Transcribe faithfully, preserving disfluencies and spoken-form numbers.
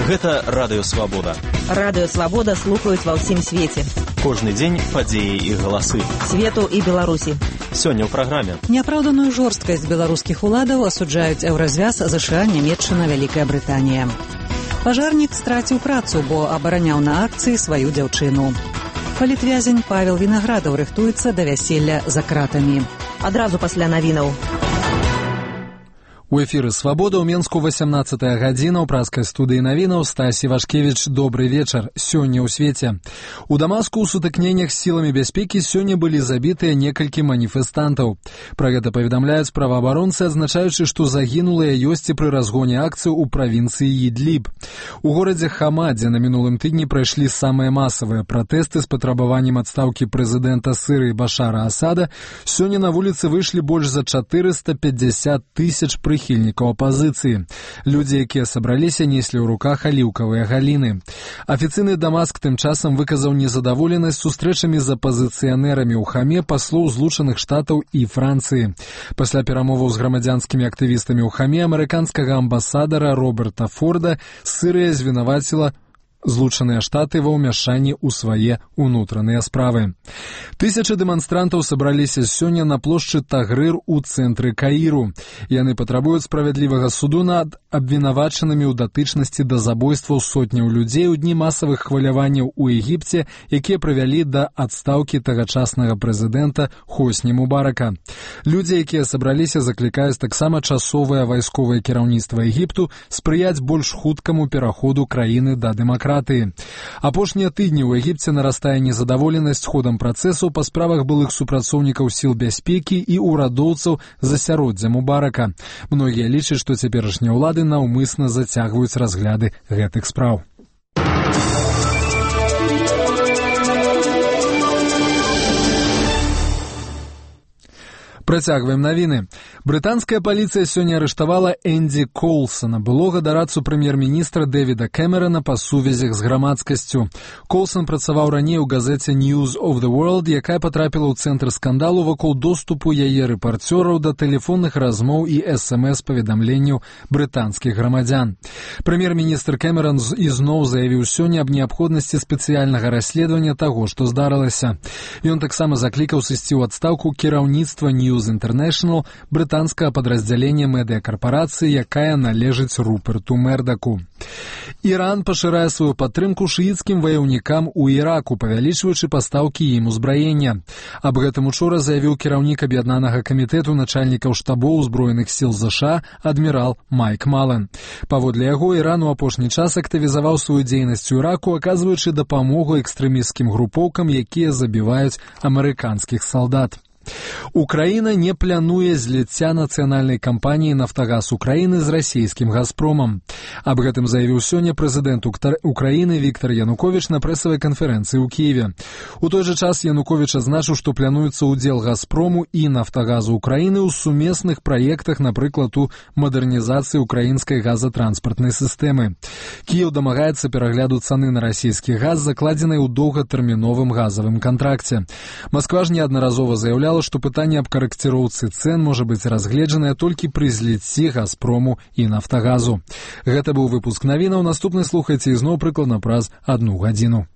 Гэта Радыё Свабода. Радыё Свабода слухаюць ва ўсім свеце. Кожны дзень падзеі і галасы. Свету і Беларусі. Сёння ў праграме. Няпраўданую жорсткасць беларускіх уладаў асуджаюць еўразвяз, ЗША, Нямецчына, Вялікая Брытанія. Пажарнік страціў працу, бо абараняў на акцыі сваю дзяўчыну. Палітвязень Павел Вінаградаў рыхтуецца да вяселля за кратамі. Адразу пасля навінаў. У эфіры «Свабода» ў Менску васямнаццатая гадзіна ў праскай студыі навінаў. Стась Івашкевіч, добры вечар. Сёння ў свеце. У Дамаску ў сутыкненнях з сіламі бяспекі сёння былі забітыя некалькі маніфестантаў. Пра гэта паведамляюць праваабаронцы, адзначаючы, што загінулыя ёсць і пры разгоне акцыі ў правінцыі Ідліб. У горадзе Хама, дзе на мінулым тыдні прайшлі самыя масавыя пратэсты з патрабаваннем адстаўкі прэзідэнта Сырыі Башара Асада, сёння на вуліцы выйшлі больш за чатырыста пятьдесят тысяч прыхільнікаў прыхільнікаў апазіцыі. Людзі, якія сабраліся, неслі ў руках аліўкавыя галіны. Афіцыйны Дамаск тым часам выказаў незадаволенасць сустрэчамі з апазіцыянерамі ў Хаме паслоў Злучаных Штатаў і Францыі. Пасля перамоваў з грамадзянскімі актывістамі ў Хаме амерыканскага амбасадара Роберта Форда Сырыя звінаваціла Злучаныя Штаты ва ўмяшанні ў свае ўнутраныя справы. Тысячы дэманстрантаў сабраліся сёння на плошчы Тагрыр у цэнтры Каіру. Яны патрабуюць справядлівага суду над абвінавачанымі ў датычнасці да забойстваў сотняў людзей у дні масавых хваляванняў у Егіпце, якія прывялі да адстаўкі тагачаснага прэзідэнта Хосні Мубарака. Людзі, якія сабраліся, заклікаюць таксама часовае вайсковае кіраўніцтва Егіпту спрыяць больш хуткаму пераходу краіны да дэмакратыі. Апошнія тыдні ў Егіпце нарастае незадаволенасць ходам працэсаў па справах былых супрацоўнікаў сіл бяспекі і ўрадоўцаў засяроддзя Мубарака. Многія лічаць, што цяперашнія ўлады наўмысна зацягваюць разгляды гэтых спраў. Працягваем навіны. Брытанская паліцыя сёння арыштавала Энді Коулсона, былога дарадцу прэм'ер-міністра Дэвіда Кэмерана па сувязях з грамадскасцю. Коулсон працаваў раней у газеце News of the World, якая патрапіла ў цэнтр скандалу вакол доступу яе рэпарцёраў да тэлефонных размоў і эс эм эс-паведамленняў брытанскіх грамадзян. Прэм'ер-міністр Кэмеран ізноў заявіў сёння аб неабходнасці спецыяльнага расследавання таго, што здарылася. Ён таксама заклікаў сысці ў адстаўку кіраўніцтва News International, брытанскае падраздзяленне медыякарпарацыі, якая належыць Руперту Мердаку. Іран пашырае сваю падтрымку шыіцкім ваяўнікам у Іраку, павялічваючы пастаўкі ім узбраення. Аб гэтым учора заявіў кіраўнік аб'яднанага камітэту начальнікаў штабоў узброеных сіл ЗША адмірал Майк Мален. Паводле яго, Іран у апошні час актывізаваў сваю дзейнасць у Іраку, аказваючы дапамогу экстрэмісцкім групоўкам, якія забіваюць амерыканскіх салдат. Украіна не плануе зліцця нацыянальнай кампаніі «Нафтагаз Украіны» з расійскім «Газпромам». Аб гэтым заявіў сёння прэзідэнт Украіны Віктар Януковіч на прэсавай канферэнцыі ў Кіеве. У той жа час Януковіч азначыў, што плануецца ўдзел «Газпрому» і «Нафтагазу Украіны» ў сумесных праектах, напрыклад, у мадэрнізацыі украінскай газатранспартнай сістэмы. Кіеў дамагаецца перагляду цаны на расійскі газ, закладзенай у доўгатэрміновым газавым кантракце. Масква ж неаднаразова заяўляла, што пытанне аб карэкціроўцы цэн можа быць разгледжанае толькі пры зліцці «Газпрому» і «Нафтагазу». Гэта быў выпуск навінаў. Наступны слухайце ізноў прыкладна праз адну гадзіну.